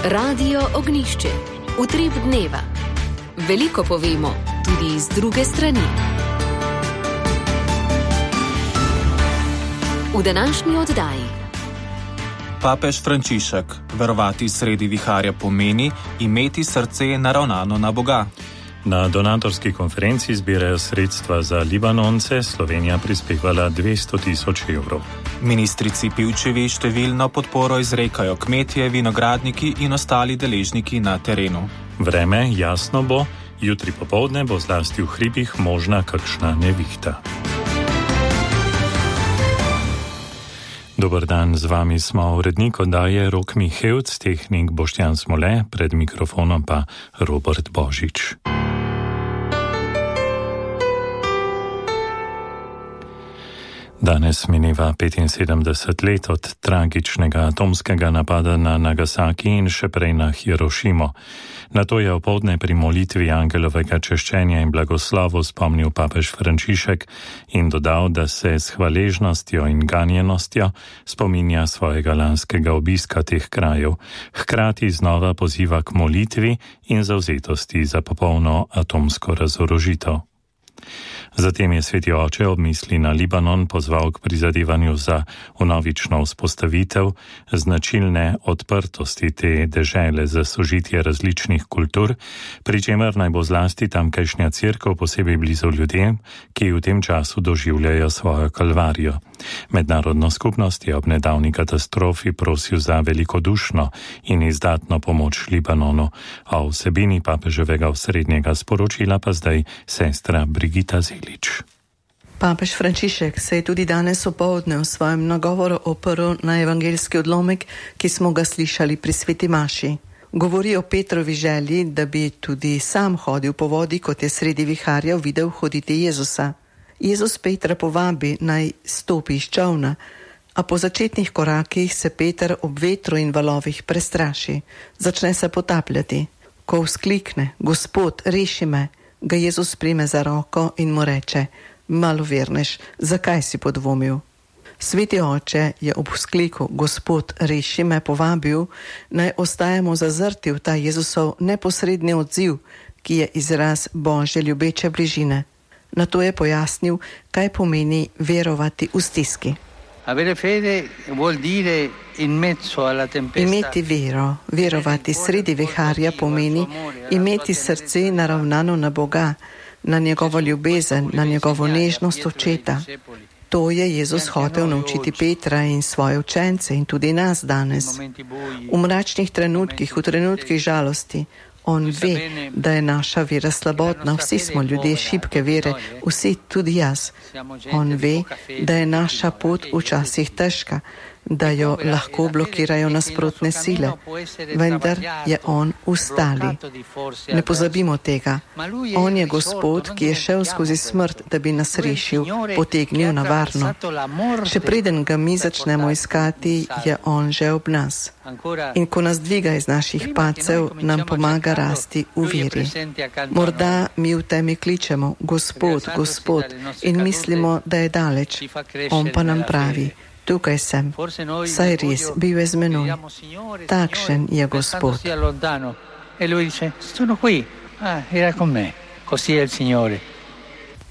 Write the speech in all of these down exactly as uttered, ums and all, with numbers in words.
Radio Ognjišče. Utrip dneva. Veliko povemo tudi iz druge strani. V današnji oddaji. Papež Frančišek: verovati sredi viharja pomeni imeti srce naravnano na Boga. Na donatorski konferenci zbirajo sredstva za Libanonce, Slovenija prispevala dvesto tisoč evrov. Ministrici Pivčevi številno podporo izrekajo kmetje, vinogradniki in ostali deležniki na terenu. Vreme jasno bo, jutri popoldne bo zlasti v hribih možna kakšna nevihta. Dober dan, z vami smo urednik oddaje Rok Mihevc, tehnik Boštjan Smole, pred mikrofonom pa Robert Božič. Danes mineva petinsedemdeset let od tragičnega atomskega napada na Nagasaki in še prej na Hirošimo. Na to je opoldne pri molitvi angelovega češčenja in blagoslovu spomnil papež Frančišek in dodal, da se s hvaležnostjo in ganjenostjo spominja svojega lanskega obiska teh krajev, hkrati znova poziva k molitvi in zavzetosti za popolno atomsko razorožitev. Zatem je sveti oče ob misli na Libanon pozval k prizadevanju za vnovično vzpostavitev značilne odprtosti te dežele za sožitje različnih kultur, pri čemer naj bo zlasti tamkajšnja cerkev posebej blizu ljudem, ki v tem času doživljajo svojo kalvarijo. Mednarodno skupnost je ob nedavni katastrofi prosil za velikodušno in izdatno pomoč Libanonu, a o vsebini papeževega osrednjega sporočila pa zdaj sestra Brigita Zelič. Papež Frančišek se je tudi danes opoldne v svojem nagovoru oprl na evangeljski odlomek, ki smo ga slišali pri sveti maši. Govori o Petrovi želji, da bi tudi sam hodil po vodi, kot je sredi viharja videl hoditi Jezusa. Jezus Petra povabi, naj stopi iz čolna, a po začetnih korakih se Peter ob vetru in valovih prestraši. Začne se potapljati. Ko vzklikne: Gospod, reši me, ga Jezus prime za roko in mu reče: Malovernež, zakaj si podvomil? Sveti oče je ob vzkliku Gospod, reši me povabil, naj ostajamo zazrti v ta Jezusov neposredni odziv, ki je izraz Božje ljubeče bližine. Nato je pojasnil, kaj pomeni verovati v stiski. Imeti vero, verovati sredi viharja pomeni imeti srce naravnano na Boga, na njegovo ljubezen, na njegovo nežnost očeta. To je Jezus hotel naučiti Petra in svoje učence in tudi nas danes. V mračnih trenutkih, v trenutkih žalosti, on ve, da je naša vera slabotna, vsi smo ljudje šibke vere, vsi, tudi jaz. On ve, da je naša pot včasih težka, da jo lahko blokirajo nasprotne sile, vendar je on ustali. Ne pozabimo tega. On je Gospod, ki je šel skozi smrt, da bi nas rešil, potegnil na varno. Še preden ga mi začnemo iskati, je on že ob nas. In ko nas dviga iz naših padcev, nam pomaga rasti v veri. Morda mi v temi kličemo: Gospod, Gospod, in mislimo, da je daleč. On pa nam pravi: tukaj sem, saj res, bil je z menoj. Takšen je Gospod.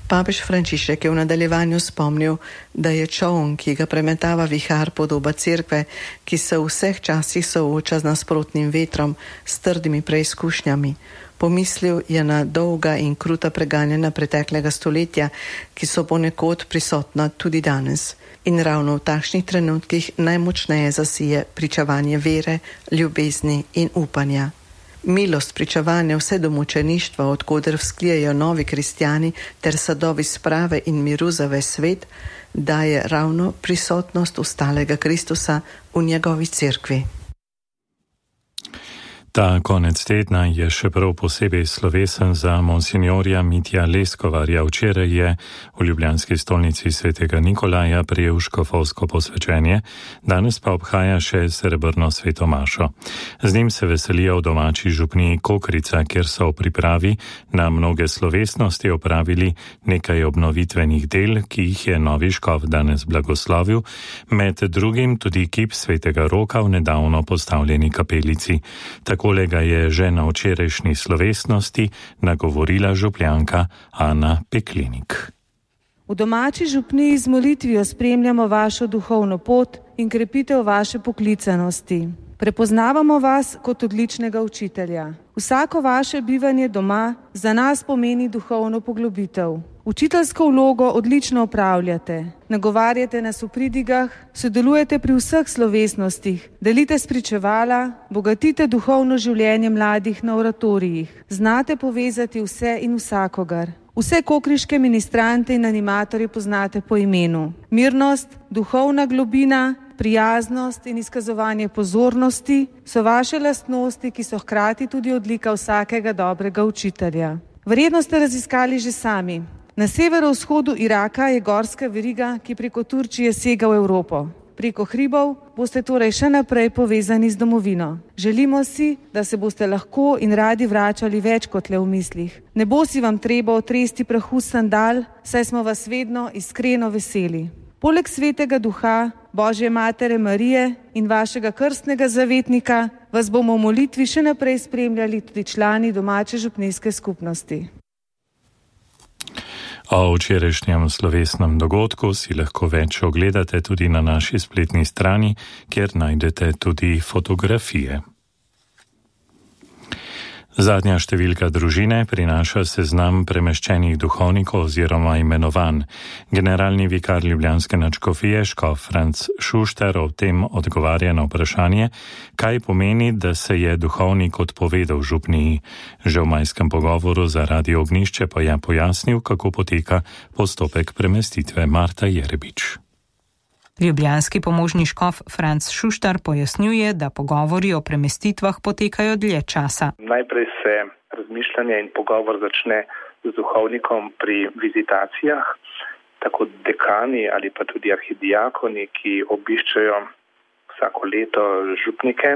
Papež Frančišek je v nadaljevanju spomnil, da je čoln, ki ga premetava vihar, podoba cerkve, ki se v vseh časih sooča z nasprotnim vetrom, s trdimi preizkušnjami. Pomislil je na dolga in kruta preganjanja preteklega stoletja, ki so ponekod prisotna tudi danes. In ravno v takšnih trenutkih najmočneje zasije pričevanje vere, ljubezni in upanja. Milost pričevanja vse do mučeništva, od koder vzklijejo novi kristjani, ter sadovi sprave in miru za ves svet, daje ravno prisotnost ustalega Kristusa v njegovi cerkvi. Ta konec tedna je še prav posebej slovesen za monsinjorja Mitja Leskovarja. Včeraj je v ljubljanski stolnici svetega Nikolaja prejel škofovsko posvečenje, danes pa obhaja še srebrno svetomašo. Z njim se veselijo v domači župniji Kokrica, kjer so v pripravi na mnoge slovesnosti opravili nekaj obnovitvenih del, ki jih je novi škof danes blagoslovil, med drugim tudi kip svetega Roka v nedavno postavljeni kapelici. Tako Kolega je že na včerajšnji slovesnosti nagovorila župljanka Ana Peklinik. V domači župniji z molitvijo spremljamo vašo duhovno pot in krepitev vaše poklicanosti. Prepoznavamo vas kot odličnega učitelja. Vsako vaše bivanje doma za nas pomeni duhovno poglobitev. Učiteljsko vlogo odlično opravljate, nagovarjate nas v pridigah, sodelujete pri vseh slovesnostih, delite spričevala, bogatite duhovno življenje mladih na oratorijih, znate povezati vse in vsakogar. Vse kokriške ministrante in animatorje poznate po imenu. Mirnost, duhovna globina, prijaznost in izkazovanje pozornosti so vaše lastnosti, ki so hkrati tudi odlika vsakega dobrega učitelja. Verjetno ste raziskali že sami. Na severovzhodu Iraka je gorska veriga, ki preko Turčije sega v Evropo. Preko hribov boste torej še naprej povezani z domovino. Želimo si, da se boste lahko in radi vračali več kot le v mislih. Ne bo si vam treba otresti prahu sandal, saj smo vas vedno iskreno veseli. Poleg svetega duha, Božje matere Marije in vašega krstnega zavetnika vas bomo v molitvi še naprej spremljali tudi člani domače župnijske skupnosti. O včerajšnjem slovesnem dogodku si lahko več ogledate tudi na naši spletni strani, kjer najdete tudi fotografije. Zadnja številka družine prinaša seznam premeščenih duhovnikov oziroma imenovan. Generalni vikar ljubljanske nadškofije škof Franc Šuštar o tem odgovarja na vprašanje, kaj pomeni, da se je duhovnik odpovedal župniji. Že v majskem pogovoru za Radio Ognjišče pa je pojasnil, kako poteka postopek premestitve. Marta Jerebič. Ljubljanski pomožni škof Franc Šuštar pojasnjuje, da pogovori o premestitvah potekajo dlje časa. Najprej se razmišljanje in pogovor začne z duhovnikom pri vizitacijah, tako dekani ali pa tudi arhidiakoni, ki obiščajo vsako leto župnike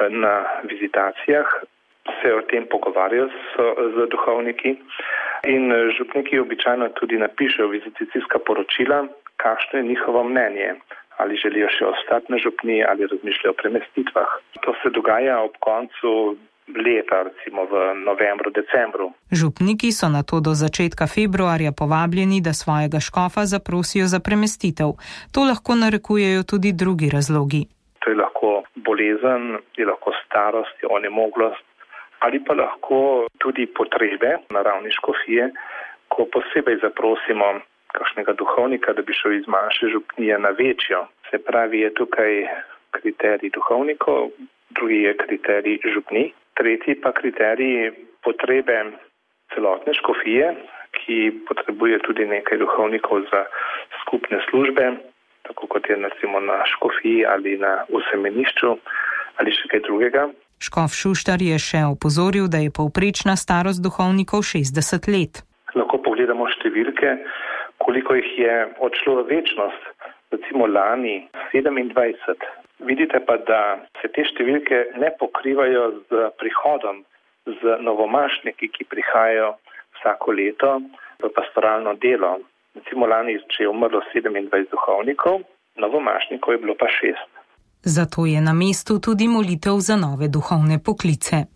na vizitacijah, se o tem pogovarjajo z, z duhovniki in župniki običajno tudi napišejo vizitacijska poročila, kakšno je njihovo mnenje, ali želijo še ostati na župniji ali razmišljajo o premestitvah. To se dogaja ob koncu leta, recimo v novembru, decembru. Župniki so nato do začetka februarja povabljeni, da svojega škofa zaprosijo za premestitev. To lahko narekujejo tudi drugi razlogi. To je lahko bolezen, je lahko starost, je onemoglost ali pa lahko tudi potrebe na ravni škofije, ko posebej zaprosimo kakšnega duhovnika, da bi šel iz manjše župnije na večjo. Se pravi, je tukaj kriterij duhovnikov, drugi je kriterij župni, tretji pa kriterij potrebe celotne škofije, ki potrebuje tudi nekaj duhovnikov za skupne službe, tako kot je recimo na škofiji ali na usemenišču ali še kaj drugega. Škof Šuštar je še opozoril, da je povprečna starost duhovnikov šestdeset let. Lahko pogledamo številke, koliko jih je odšlo v večnost, recimo lani sedemindvajset. Vidite pa, da se te številke ne pokrivajo z prihodom, z novomašniki, ki prihajajo vsako leto v pastoralno delo. Recimo lani, če je umrlo sedemindvajset duhovnikov, novomašnikov je bilo pa šest. Zato je na mestu tudi molitev za nove duhovne poklice.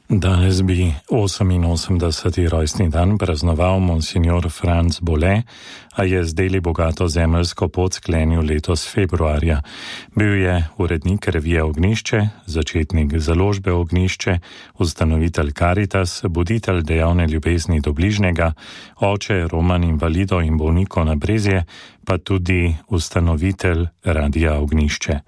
Danes bi oseminosemdeseti rojstni dan praznoval monsinjor Franc Bole, a je z deli bogato zemeljsko pot sklenil letos februarja. Bil je urednik revije Ognjišče, začetnik založbe Ognjišče, ustanovitelj Caritas, buditelj dejavne ljubezni do bližnjega, oče roman invalidov in bolnikov na Brezje, pa tudi ustanovitelj Radia Ognjišče.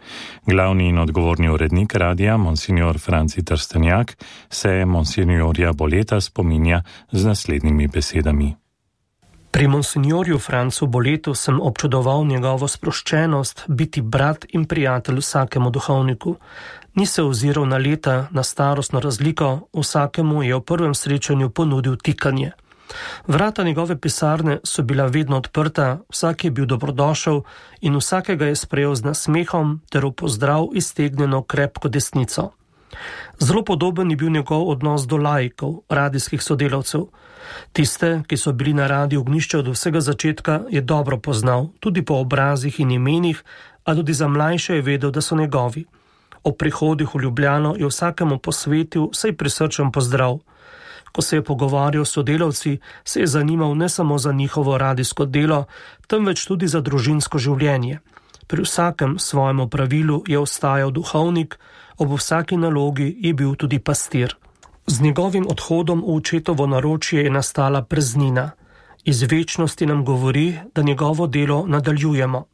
Glavni in odgovorni urednik radia, monsinjor Franci Trstenjak, se monsinjorja Boleta spominja z naslednjimi besedami. Pri monsinjorju Francu Boletu sem občudoval njegovo sproščenost biti brat in prijatelj vsakemu duhovniku. Ni se oziral na leta, na starostno razliko, vsakemu je v prvem srečanju ponudil tikanje. Vrata njegove pisarne so bila vedno odprta, vsak je bil dobrodošel in vsakega je sprejel z nasmehom ter v pozdrav iztegnjeno krepko desnico. Zelo podoben je bil njegov odnos do laikov, radijskih sodelavcev. Tiste, ki so bili na Radiu Ognjišče od vsega začetka, je dobro poznal, tudi po obrazih in imenih, a tudi za mlajše je vedel, da so njegovi. Ob prihodih v Ljubljano je vsakemu posvetil vsaj prisrčen pozdrav. Ko se je pogovarjal s sodelavci, se je zanimal ne samo za njihovo radijsko delo, temveč tudi za družinsko življenje. Pri vsakem svojem opravilu je ostajal duhovnik, ob vsaki nalogi je bil tudi pastir. Z njegovim odhodom v očetovo naročje je nastala praznina. Iz večnosti nam govori, da njegovo delo nadaljujemo.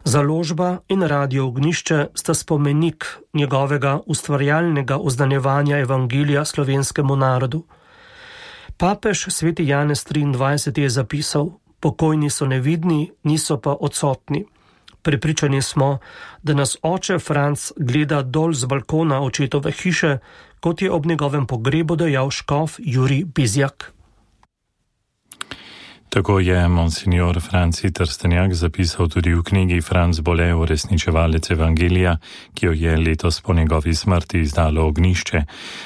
Založba in Radio Ognjišče sta spomenik njegovega ustvarjalnega oznanjevanja evangelija slovenskemu narodu. Papež sveti Janez triindvajseti je zapisal: pokojni so nevidni, niso pa odsotni. Prepričani smo, da nas oče Franc gleda dol z balkona očetove hiše, kot je ob njegovem pogrebu dejal škof Jurij Bizjak. Tako je monsinjor Franci Trstenjak zapisal tudi v knjigi Franc Bole, uresničevalec evangelija, ki jo je letos po njegovi smrti izdalo Ognjišče.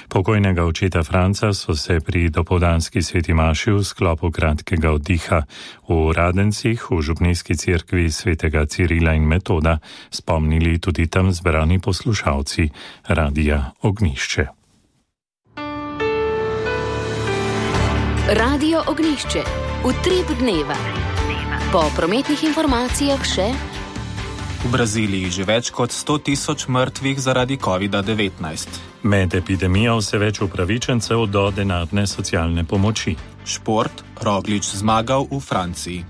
Pokojnega očeta Franca so se pri dopoldanski sveti maši v sklopu kratkega oddiha v Radencih v župnijski cerkvi svetega Cirila in Metoda spomnili tudi tam zbrani poslušalci Radija Ognjišče. Radio Ognjišče. Utrip dneva. Po prometnih informacijah še. V Braziliji že več kot sto tisoč mrtvih zaradi kovida devetnajst. Med epidemijo vse več upravičencev do denarne socialne pomoči. Šport, Roglič zmagal v Franciji.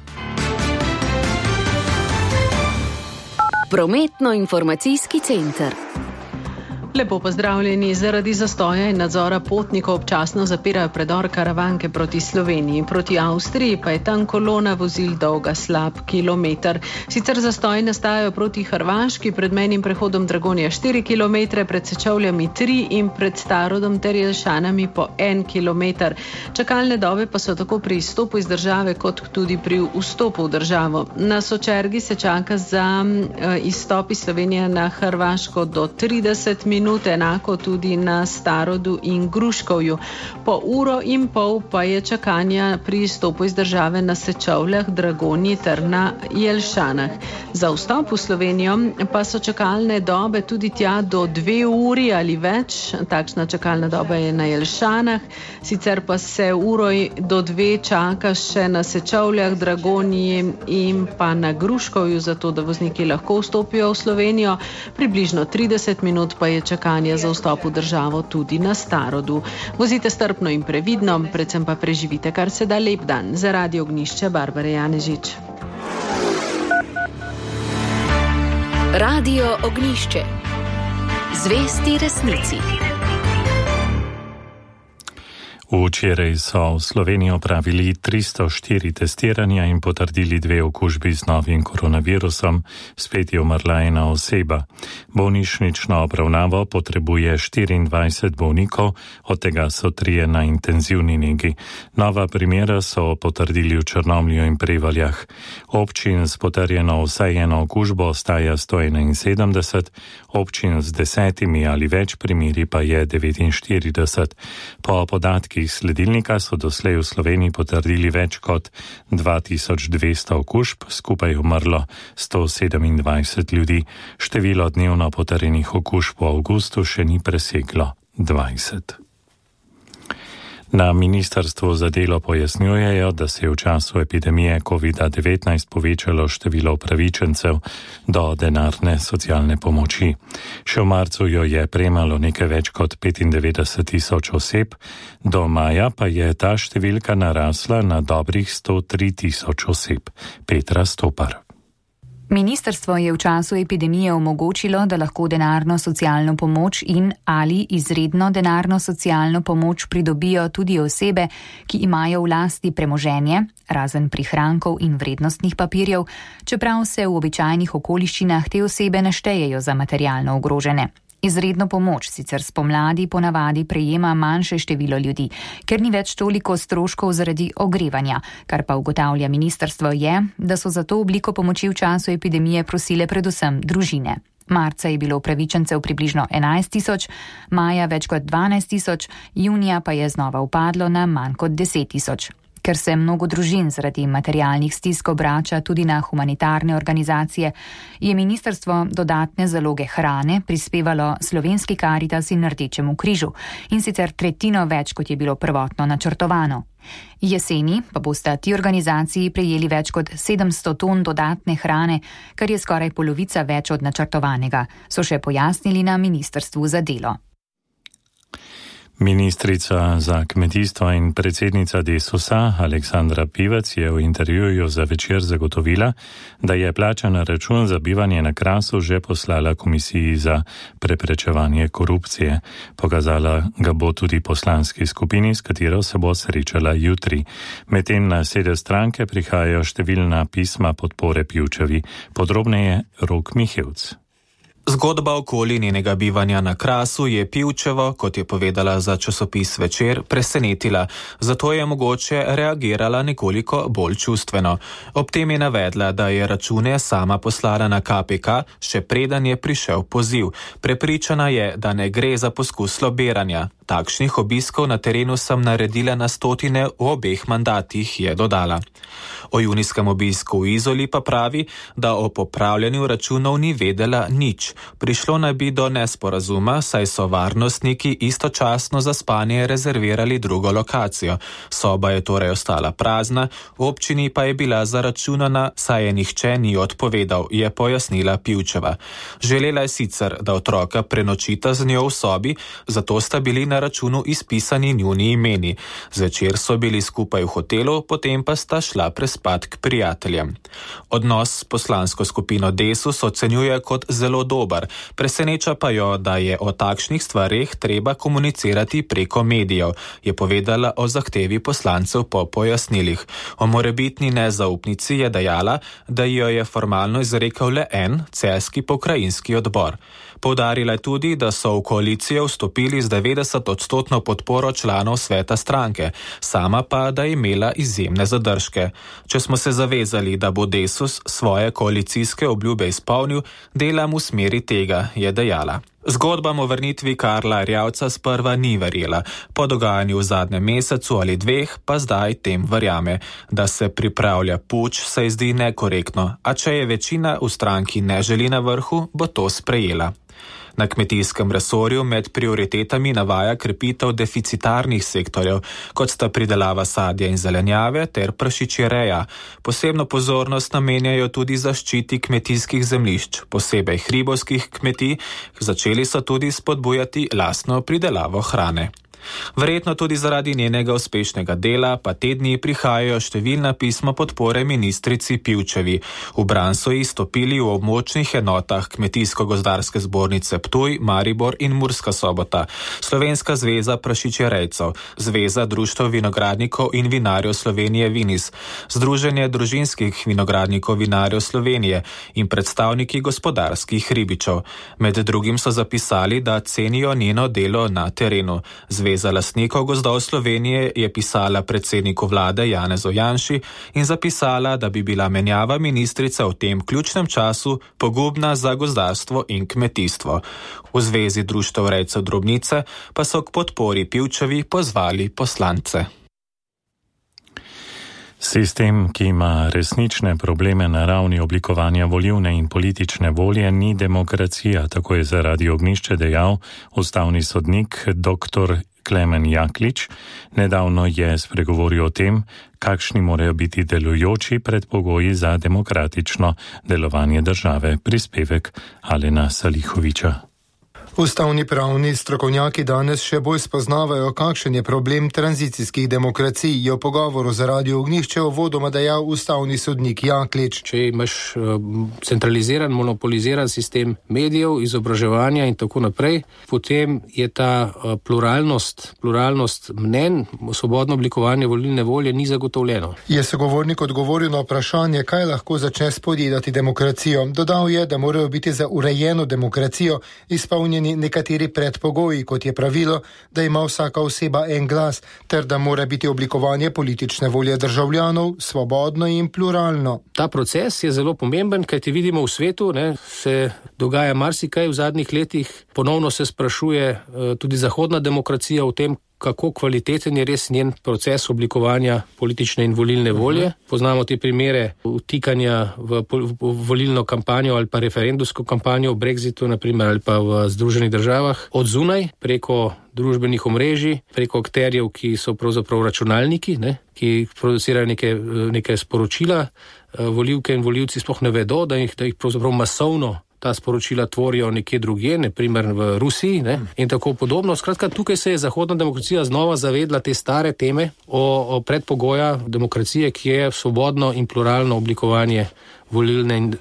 Prometno-informacijski center. Lepo pozdravljeni. Zaradi zastoja in nadzora potnikov občasno zapirajo predor Karavanke proti Sloveniji. Proti Avstriji pa je tam kolona vozil dolga slab kilometer. Sicer zastoji nastajajo proti Hrvaški, pred mejnim prehodom Dragonja štiri kilometre, pred Sečovljami tri in pred Starodom ter Jelšanami po en kilometer. Čakalne dobe pa so tako pri izstopu iz države kot tudi pri vstopu v državo. Na Sočergi se čaka za uh, izstop iz Slovenije na Hrvaško do trideset minut, enako tudi na Starodu in Gruškovju. Po uro in pol pa je čakanja pri izstopu iz države na Sečovljah, Dragonji ter na Jelšanah. Za vstop v Slovenijo pa so čakalne dobe tudi tja do dve uri ali več. Takšna čakalna doba je na Jelšanah, sicer pa se uro do dve čaka še na Sečovljah, Dragonji in pa na Gruškovju, zato da vozniki lahko vstopijo v Slovenijo. Približno trideset minut pa je čakanje za vstop v državo tudi na Starodu. Vozite strpno in previdno, predvsem pa preživite kar se da lep dan. Za Radio Ognjišče Barbara Janežič. Radio Ognjišče. Zvesti resnici. Včeraj so v Sloveniji opravili tristo štiri testiranja in potrdili dve okužbi z novim koronavirusom, spet je umrla ena oseba. Bolnišnično obravnavo potrebuje štiriindvajset bolnikov, od tega so trije na intenzivni negi. Nova primera so potrdili v Črnomlju in Prevaljah. Občin s potrjeno vsaj eno okužbo ostaja sto enainsedemdeset, občin z desetimi ali več primeri pa je devetinštirideset. Po podatkih sledilnika so doslej v Sloveniji potrdili več kot dva tisoč dvesto okužb, skupaj umrlo sto sedemindvajset ljudi. Število dnevno potrjenih okužb v avgustu še ni preseglo dvajset. Na ministrstvu za delo pojasnjujejo, da se je v času epidemije kovida devetnajst povečalo število upravičencev do denarne socialne pomoči. Še v marcu jo je prejemalo nekaj več kot petindevetdeset tisoč oseb, do maja pa je ta številka narasla na dobrih sto tri tisoč oseb. Petra Stopar. Ministrstvo je v času epidemije omogočilo, da lahko denarno socialno pomoč in ali izredno denarno socialno pomoč pridobijo tudi osebe, ki imajo v lasti premoženje, razen prihrankov in vrednostnih papirjev, čeprav se v običajnih okoliščinah te osebe ne štejejo za materialno ogrožene. Izredno pomoč sicer spomladi ponavadi prejema manjše število ljudi, ker ni več toliko stroškov zaradi ogrevanja, kar pa ugotavlja ministrstvo je, da so za to obliko pomoči v času epidemije prosile predvsem družine. Marca je bilo upravičencev približno enajst tisoč, maja več kot dvanajst tisoč, junija pa je znova upadlo na manj kot deset tisoč. Ker se mnogo družin zaradi materialnih stisk obrača tudi na humanitarne organizacije, je ministrstvo dodatne zaloge hrane prispevalo Slovenski Karitas in Rdečemu križu, in sicer tretjino več, kot je bilo prvotno načrtovano. Jeseni pa bosta ti organizaciji prejeli več kot sedemsto ton dodatne hrane, kar je skoraj polovica več od načrtovanega, so še pojasnili na Ministrstvu za delo. Ministrica za kmetijstvo in predsednica Desusa Aleksandra Pivec je v intervjuju za Večer zagotovila, da je plačan račun za bivanje na Krasu že poslala Komisiji za preprečevanje korupcije. Pokazala ga bo tudi poslanski skupini, s katero se bo srečala jutri. Medtem na sedež stranke prihajajo številna pisma podpore Pivčevi. Podrobneje Rok Mihevc. Zgodba okoli njenega bivanja na Krasu je Pivčevo, kot je povedala za časopis Večer, presenetila, zato je mogoče reagirala nekoliko bolj čustveno. Ob tem je navedla, da je račune sama poslala na K P K, še preden je prišel poziv. Prepričana je, da ne gre za poskus lobiranja. Takšnih obiskov na terenu sem naredila na stotine v obeh mandatih, je dodala. O junijskem obisku v Izoli pa pravi, da o popravljanju računov ni vedela nič. Prišlo naj bi do nesporazuma, saj so varnostniki istočasno za spanje rezervirali drugo lokacijo. Soba je torej ostala prazna, v občini pa je bila zaračunana, saj je nihče ni odpovedal, je pojasnila Pivčeva. Želela je sicer, da otroka prenočita z njo v sobi, zato sta bili na računu izpisani njuni imeni. Zvečer so bili skupaj v hotelu, potem pa sta šla prespat k prijateljem. Odnos s poslansko skupino Desus ocenjuje kot zelo dober. Preseneča pa jo, da je o takšnih stvareh treba komunicirati preko medijev, je povedala o zahtevi poslancev po pojasnilih. O morebitni nezaupnici je dejala, da jo je formalno izrekel le en, celjski pokrajinski odbor. Poudarila je tudi, da so v koalicijo vstopili z devetdeset odstotno podporo članov sveta stranke, sama pa, da je imela izjemne zadržke. Če smo se zavezali, da bo Desus svoje koalicijske obljube izpolnil, delam v smeri tega, je dejala. Zgodbam o vrnitvi Karla Erjavca sprva ni verjela, po dogajanju v zadnjem mesecu ali dveh pa zdaj tem verjame. Da se pripravlja puč, se zdi nekorektno, a če je večina v stranki ne želi na vrhu, bo to sprejela. Na kmetijskem resorju med prioritetami navaja krepitev deficitarnih sektorjev, kot sta pridelava sadja in zelenjave ter prašičjereja. Posebno pozornost namenjajo tudi zaščiti kmetijskih zemljišč, posebej hribovskih kmetij, začeli so tudi spodbujati lastno pridelavo hrane. Verjetno tudi zaradi njenega uspešnega dela pa te dni prihajajo številna pisma podpore ministrici Pivčevi. V bran so ji stopili v območnih enotah Kmetijsko-gozdarske zbornice Ptuj, Maribor in Murska Sobota, Slovenska zveza prašičjerejcev, Zveza društev vinogradnikov in vinarjev Slovenije Vinis, Združenje družinskih vinogradnikov vinarjev Slovenije in predstavniki gospodarskih ribičev. Med drugim so zapisali, da cenijo njeno delo na terenu. Zveza lastnikov gozdov Slovenije je pisala predsedniku vlade Janezu Janši in zapisala, da bi bila menjava ministrice v tem ključnem času pogubna za gozdarstvo in kmetijstvo. V Zvezi društev rejcev drobnice pa so k podpori Pivčevi pozvali poslance. Sistem, ki ima resnične probleme na ravni oblikovanja volilne in politične volje, ni demokracija, tako je za Radio Ognjišče dejal ustavni sodnik dr. Klemen Jaklič. Nedavno je spregovoril o tem, kakšni morajo biti delujoči predpogoji za demokratično delovanje države. Prispevek Alena Salihoviča. Ustavni pravni strokovnjaki danes še bolj spoznavajo, kakšen je problem tranzicijskih demokracij, je v pogovoru za Radio Ognjišče uvodoma dejal ustavni sodnik Jaklič. Če imaš uh, centraliziran, monopoliziran sistem medijev, izobraževanja in tako naprej, potem je ta uh, pluralnost, pluralnost mnenj, svobodno oblikovanje volilne volje ni zagotovljeno. Je sogovornik odgovoril na vprašanje, kaj lahko začne spodjedati demokracijo. Dodal je, da morajo biti za urejeno demokracijo izpolnjeni nekateri predpogoji, kot je pravilo, da ima vsaka oseba en glas, ter da mora biti oblikovanje politične volje državljanov svobodno in pluralno. Ta proces je zelo pomemben, kajti vidimo v svetu, ne, se dogaja marsikaj v zadnjih letih, ponovno se sprašuje uh, tudi zahodna demokracija o tem, kako kvaliteten je res njen proces oblikovanja politične in volilne volje. Poznamo te primere vtikanja v, v volilno kampanjo ali pa referendumsko kampanjo v Brexitu, naprimer, ali pa v Združenih državah, od zunaj, preko družbenih omrežij, preko akterjev, ki so pravzaprav računalniki, ne, ki producirajo neke, neke sporočila. Volivke in volivci sploh ne vedo, da jih, da jih pravzaprav masovno ta sporočila tvorijo nekje drugje, naprimer v Rusiji, ne, in tako podobno. Skratka, tukaj se je zahodna demokracija znova zavedla te stare teme o, o predpogoja demokracije, ki je svobodno in pluralno oblikovanje volilne in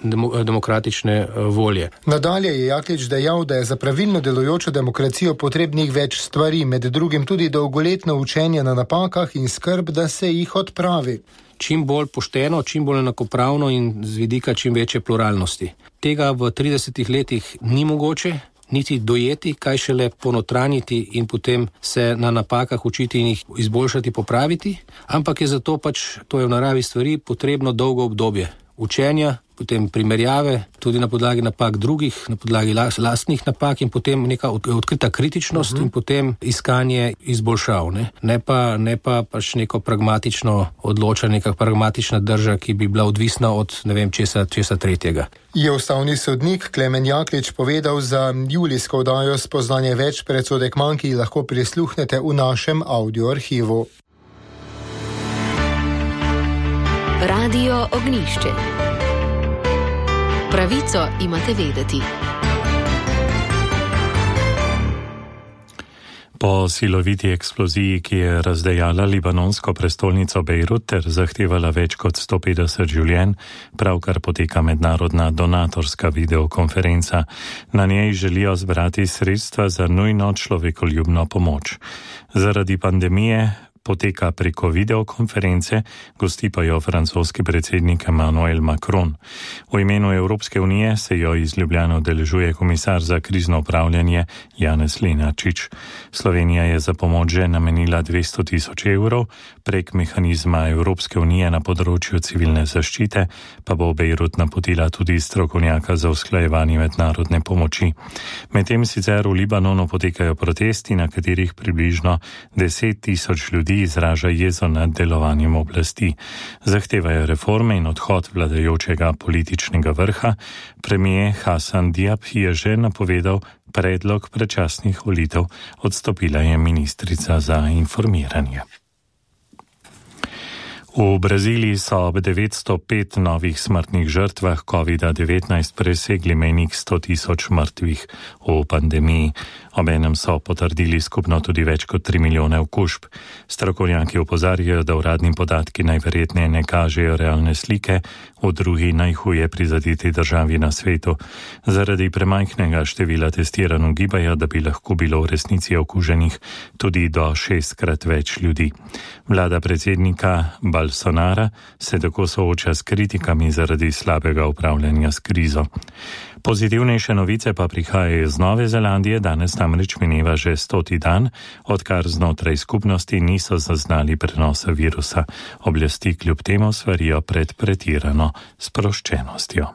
demokratične volje. Nadalje je Jaklič dejal, da je za pravilno delujočo demokracijo potrebnih več stvari, med drugim tudi dolgoletno učenje na napakah in skrb, da se jih odpravi. Čim bolj pošteno, čim bolj enakopravno in z vidika čim večje pluralnosti. Tega v tridesetih letih ni mogoče niti dojeti, kaj šele ponotraniti in potem se na napakah učiti in jih izboljšati, popraviti, ampak je zato pač, to je v naravi stvari, potrebno dolgo obdobje učenja, potem primerjave, tudi na podlagi napak drugih, na podlagi lastnih napak in potem neka odkrita kritičnost uh-huh. in potem iskanje izboljšav. Ne, ne pa, ne pa pač neko pragmatično odločanje, neka pragmatična drža, ki bi bila odvisna od ne vem česa, česa tretjega. Je ustavni sodnik Klemen Jaklič povedal za julijsko oddajo Spoznanje več predsodek manj, ki lahko prisluhnete v našem audio arhivu. Radio Ognjišče. Pravico imate vedeti. Po siloviti eksploziji, ki je razdejala libanonsko prestolnico Bejrut ter zahtevala več kot sto petdeset življenj, pravkar poteka mednarodna donatorska videokonferenca. Na njej želijo zbrati sredstva za nujno človekoljubno pomoč. Zaradi pandemije poteka preko videokonference, gosti pa jo francoski predsednik Emmanuel Macron. V imenu Evropske unije se jo iz Ljubljane udeležuje komisar za krizno upravljanje Janez Lenarčič. Slovenija je za pomoč že namenila dvesto tisoč evrov, prek mehanizma Evropske unije na področju civilne zaščite pa bo Bejrut napotila tudi strokovnjaka za usklajevanje mednarodne pomoči. Medtem sicer v Libanonu potekajo protesti, na katerih približno deset tisoč ljudi izraža jezo nad delovanjem oblasti. Zahtevajo reforme in odhod vladajočega političnega vrha. Premijer Hasan Diab je že napovedal predlog predčasnih volitev, odstopila je ministrica za informiranje. V Braziliji so ob devetsto pet novih smrtnih žrtvah kovida devetnajst presegli mejnik sto tisoč mrtvih v pandemiji. Obenem so potrdili skupno tudi več kot tri milijone okužb. Strokovnjaki opozarjajo, da uradni podatki najverjetneje ne kažejo realne slike v drugi najhuje prizadeti državi na svetu. Zaradi premajhnega števila testiranj ugibajo, da bi lahko bilo v resnici okuženih tudi do šestkrat več ljudi. Vlada predsednika Bolsonara se tako sooča s kritikami zaradi slabega upravljanja s krizo. Pozitivnejše novice pa prihajajo iz Nove Zelandije, danes namreč mineva že stoti dan, odkar znotraj skupnosti niso zaznali prenosa virusa. Oblasti kljub temu svarijo pred pretirano sproščenostjo.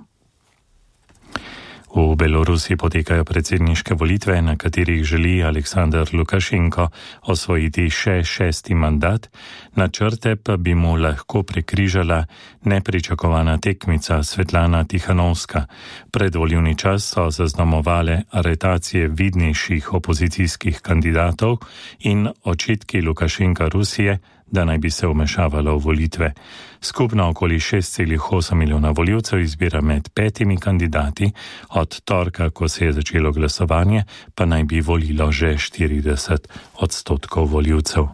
V Belorusiji potekajo predsedniške volitve, na katerih želi Aleksandar Lukašenko osvojiti še šesti mandat, načrte pa bi mu lahko prekrižala nepričakovana tekmica Svetlana Tihanovska. Predvolilni čas so zaznamovale aretacije vidnejših opozicijskih kandidatov in očitki Lukašenka Rusije, da naj bi se vmešavalo v volitve. Skupno okoli šest celih osem milijona voljivcev izbira med petimi kandidati, od torka, ko se je začelo glasovanje, pa naj bi volilo že štirideset odstotkov voljivcev.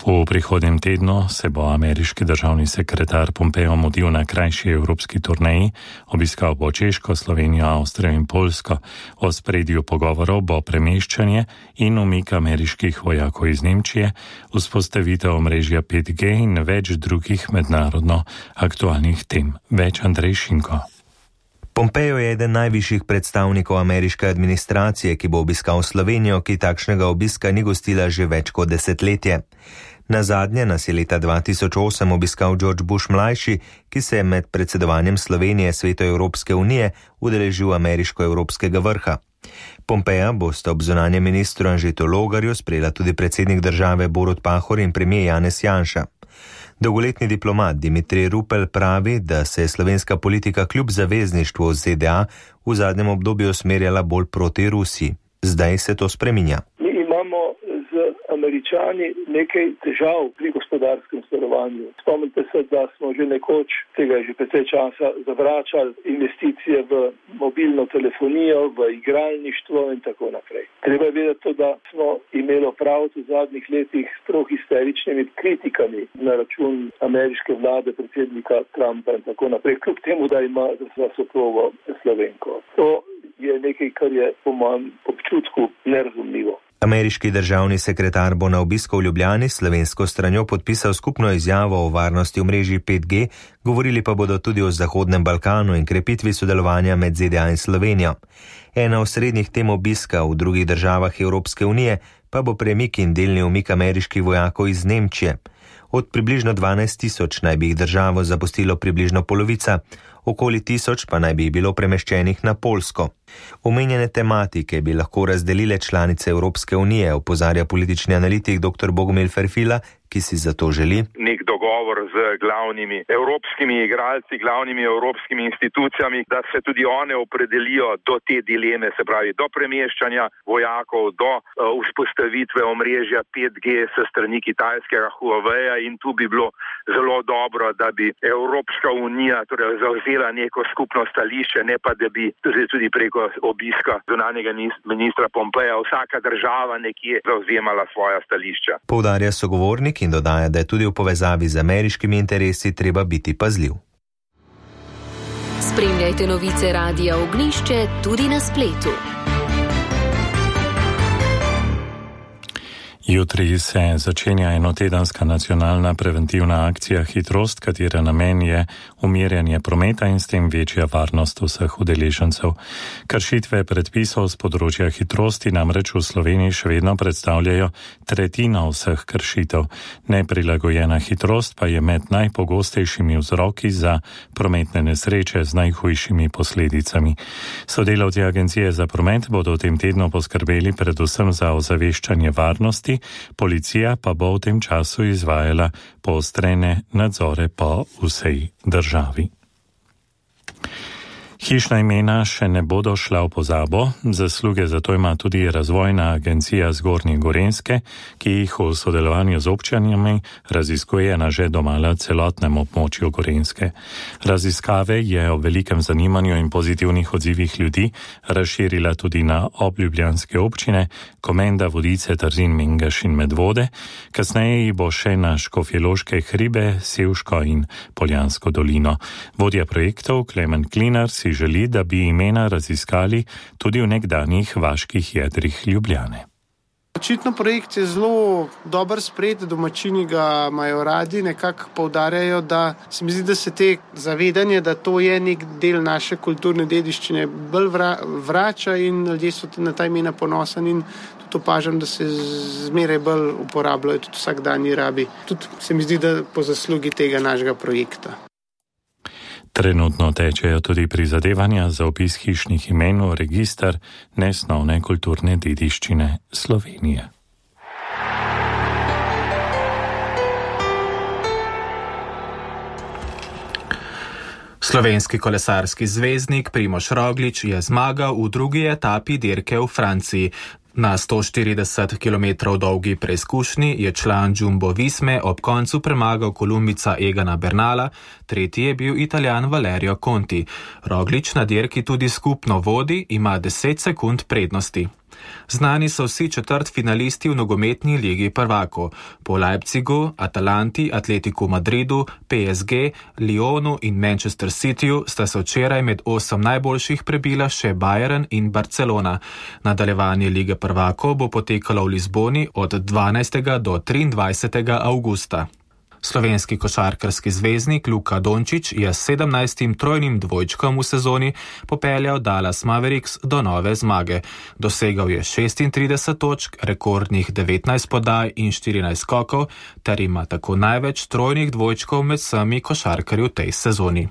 V prihodnjem tednu se bo ameriški državni sekretar Pompeo mudil na krajši evropski turneji, obiskal bo Češko, Slovenijo, Avstrijo in Poljsko. V ospredju pogovorov bo premeščanje in umik ameriških vojakov iz Nemčije, vzpostavitev omrežja pet G in več drugih mednarodno aktualnih tem. Več Andrej Šinko. Pompeo je eden najvišjih predstavnikov ameriške administracije, ki bo obiskal Slovenijo, ki takšnega obiska ni gostila že več kot desetletje. Na zadnje nas je leta dva tisoč osem obiskal George Bush mlajši, ki se je med predsedovanjem Slovenije Svetu Evropske unije udeležil ameriško-evropskega vrha. Pompeja bosta ob zunanjem ministru Anžetu Logarju sprejela tudi predsednik države Borut Pahor in premijer Janez Janša. Dolgoletni diplomat Dimitrij Rupel pravi, da se je slovenska politika kljub zavezništvu z Z D A v zadnjem obdobju usmerjala bolj proti Rusiji. Zdaj se to spreminja. Mi imamo z Američani nekaj težav pri gospodarskem sodelovanju. Spomnite se, da smo že nekoč, tega je že precej časa, zavračali investicije v mobilno telefonijo, v igralništvo in tako naprej. Treba je vedeti to, da smo imeli opraviti v zadnjih letih s prav histeričnimi kritikami na račun ameriške vlade, predsednika Trumpa in tako naprej, kljub temu, da ima za soprogo Slovenko. To je nekaj, kar je po mojem občutku nerazumljivo. Ameriški državni sekretar bo na obisku v Ljubljani s slovensko stranjo podpisal skupno izjavo o varnosti omrežij pet G, govorili pa bodo tudi o Zahodnem Balkanu in krepitvi sodelovanja med Z D A in Slovenijo. Ena osrednjih tem obiska v drugih državah Evropske unije pa bo premik in delni umik ameriških vojakov iz Nemčije. Od približno dvanajst tisoč naj bi jih državo zapustilo približno polovica, okoli tisoč pa naj bi jih bilo premeščenih na Poljsko. Omenjene tematike bi lahko razdelile članice Evropske unije, opozarja politični analitik dr. Bogomil Ferfila, ki si za to želi nek dogovor z glavnimi evropskimi igralci, glavnimi evropskimi institucijami, da se tudi one opredelijo do te dileme, se pravi do premeščanja vojakov, do uh, vzpostavitve omrežja pet G se strani kitajskega Huawei, in tu bi bilo zelo dobro, da bi Evropska unija torej zavzela neko skupno stališče, ne pa da bi tudi, tudi preko obiska zunanjega ministra Pompeja vsaka država nekje zavzemala svoja stališča. Poudarja sogovornik in dodaja, da je tudi v povezavi z ameriškimi interesi treba biti pazljiv. Spremljajte novice Radia Ognjišče tudi na spletu. Jutri se začenja enotedenska nacionalna preventivna akcija Hitrost, katere namen je umirjanje prometa in s tem večja varnost vseh udeležencev. Kršitve predpisov z področja hitrosti namreč v Sloveniji še vedno predstavljajo tretjino vseh kršitev. Neprilagojena hitrost pa je med najpogostejšimi vzroki za prometne nesreče z najhujšimi posledicami. Sodelavci Agencije za promet bodo v tem tednu poskrbeli predvsem za ozaveščanje varnosti, policija pa bo v tem času izvajala poostrene nadzore po vsej državi. Hišna imena še ne bodo šla v pozabo, zasluge za to ima tudi Razvojna agencija Zgornje Gorenjske, ki jih v sodelovanju z občinami raziskuje na že domala celotnem območju Gorenjske. Raziskave je o velikem zanimanju in pozitivnih odzivih ljudi razširila tudi na obljubljanske občine, Komenda, Vodice, Trzin, Mengeš in Medvode, kasneje bo še na Škofjeloške hribe, Sevško in Poljansko dolino. Vodja projektov Klemen Klinar si želi, da bi imena raziskali tudi v nekdanjih vaških jedrih Ljubljane. Očitno projekt je zelo dober sprejet, domačini ga imajo radi, nekako poudarjajo, da se mi zdi, da se te zavedanje, da to je nek del naše kulturne dediščine, bolj vrača in ljudje so na ta imena ponosni in tudi opažam, da se zmeraj bolj uporabljajo tudi vsakdanji rabi. Tudi se mi zdi, da po zaslugi tega našega projekta. Trenutno tečejo tudi prizadevanja za opis hišnih imen v register nesnovne kulturne dediščine Slovenije. Slovenski kolesarski zvezdnik Primož Roglič je zmagal v drugi etapi dirke v Franciji. Na sto štirideset kilometrov dolgi preizkušnji je član Jumbo Visme ob koncu premagal Kolumbica Egana Bernala, tretji je bil Italijan Valerio Conti. Roglič na dirki tudi skupno vodi, ima deset sekund prednosti. Znani so vsi četrt finalisti v nogometni ligi prvakov. Po Leipzigu, Atalanti, Atletiku Madridu, P S G, Lyonu in Manchester Cityju sta se včeraj med osem najboljših prebila še Bayern in Barcelona. Nadaljevanje lige prvakov bo potekalo v Lizboni od dvanajstega do triindvajsetega avgusta. Slovenski košarkarski zvezdnik Luka Dončić je s sedemnajstim trojnim dvojčkom v sezoni popeljal Dallas Mavericks do nove zmage. Dosegal je šestintrideset točk, rekordnih devetnajst podaj in štirinajst skokov, ter ima tako največ trojnih dvojčkov med vsemi košarkarji v tej sezoni.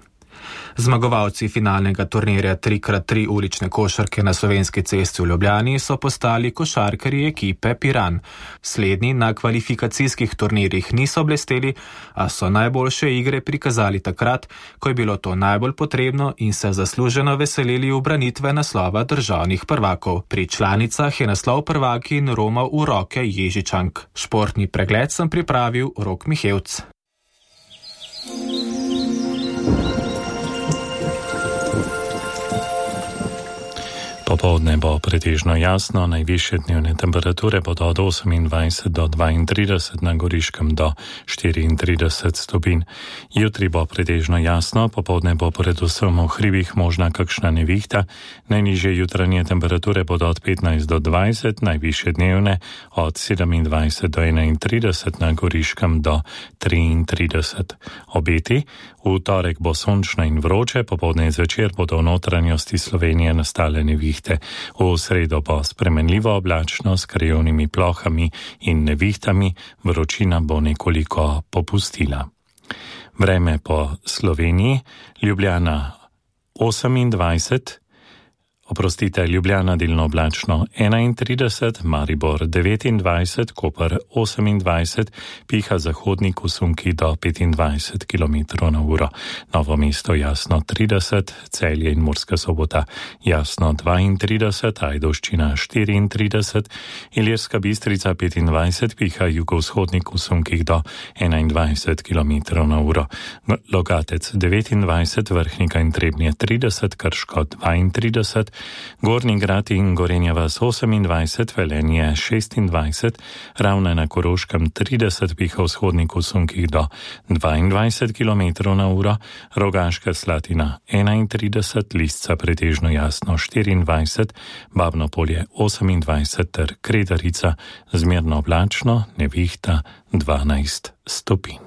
Zmagovalci finalnega turnirja tri krat tri ulične košarke na Slovenski cesti v Ljubljani so postali košarkarji ekipe Piran. Slednji na kvalifikacijskih turnirjih niso blesteli, a so najboljše igre prikazali takrat, ko je bilo to najbolj potrebno in se zasluženo veselili ubranitve naslova državnih prvakov. Pri članicah je naslov prvakin romal v roke Ježičank. Športni pregled sem pripravil Rok Mihevc. Popoldne bo pretežno jasno, najvišje dnevne temperature bodo od osemindvajset do dvaintrideset, na Goriškem do štiriintrideset stopinj. Jutri bo pretežno jasno, popoldne bo predvsem v hribih možna kakšna nevihta, najnižje jutranje temperature bodo od petnajst do dvajset, najvišje dnevne od sedemindvajset do enaintrideset, na Goriškem do triintrideset. Obeti: v torek bo sončno in vroče, popoldne in zvečer bodo v notranjosti Slovenije nastale nevihte. V sredo bo spremenljivo oblačno s krajevnimi plohami in nevihtami, vročina bo nekoliko popustila. Vreme po Sloveniji: Ljubljana osemindvajset, oprostite, Ljubljana delno oblačno enaintrideset, Maribor devetindvajset, Koper osemindvajset, piha zahodnik v sunki do petindvajset kilometrov na uro. Novo mesto jasno trideset, Celje in Murska Sobota jasno dvaintrideset, Ajdovščina štiriintrideset, Ilirska Bistrica petindvajset, piha jugovzhodnik v sunkih do enaindvajset kilometrov na uro. Logatec devetindvajset, Vrhnika in Trebnje trideset, Krško dvaintrideset, Gornji Grad in Gorenja vas osemindvajset, Velenje šestindvajset, Ravne na Koroškem trideset, piha vzhodnik v sunkih do dvaindvajset kilometrov na uro, Rogaška Slatina enaintrideset, Lisca pretežno jasno štiriindvajset, Babno Polje osemindvajset ter Kredarica zmerno oblačno, nevihta dvanajst stopinj.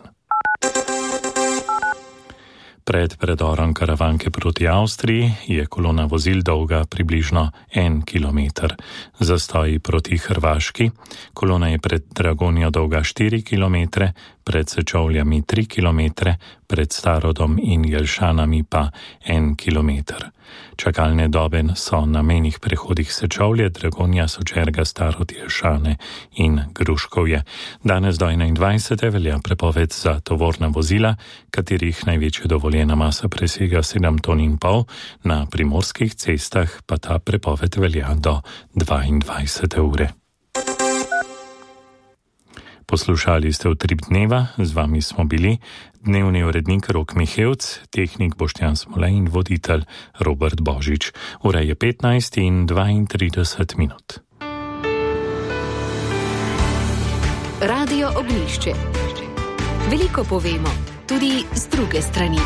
Pred predorom Karavanke proti Avstriji je kolona vozil dolga približno en kilometer. Zastoji proti Hrvaški. Kolona je pred Dragonjo dolga štiri kilometre, pred Sečovljami tri kilometre, pred Starodom in Jelšanami pa en kilometer. Čakalne dobe so na mejnih prehodih Sečovlje, Dragonja, Sočerga, Starod, Jelšane in Gruškovje. Danes do enaindvajsete velja prepoved za tovorna vozila, katerih največja dovoljena masa presega sedem ton in pol, na primorskih cestah pa ta prepoved velja do dvaindvajsete ure. Poslušali ste Utrip dneva, z vami smo bili dnevni urednik Rok Mihevc, tehnik Boštjan Smolej in voditelj Robert Božič. Ura je petnajst in dvaintrideset minut. Radio Ognjišče. Veliko povemo, tudi z druge strani.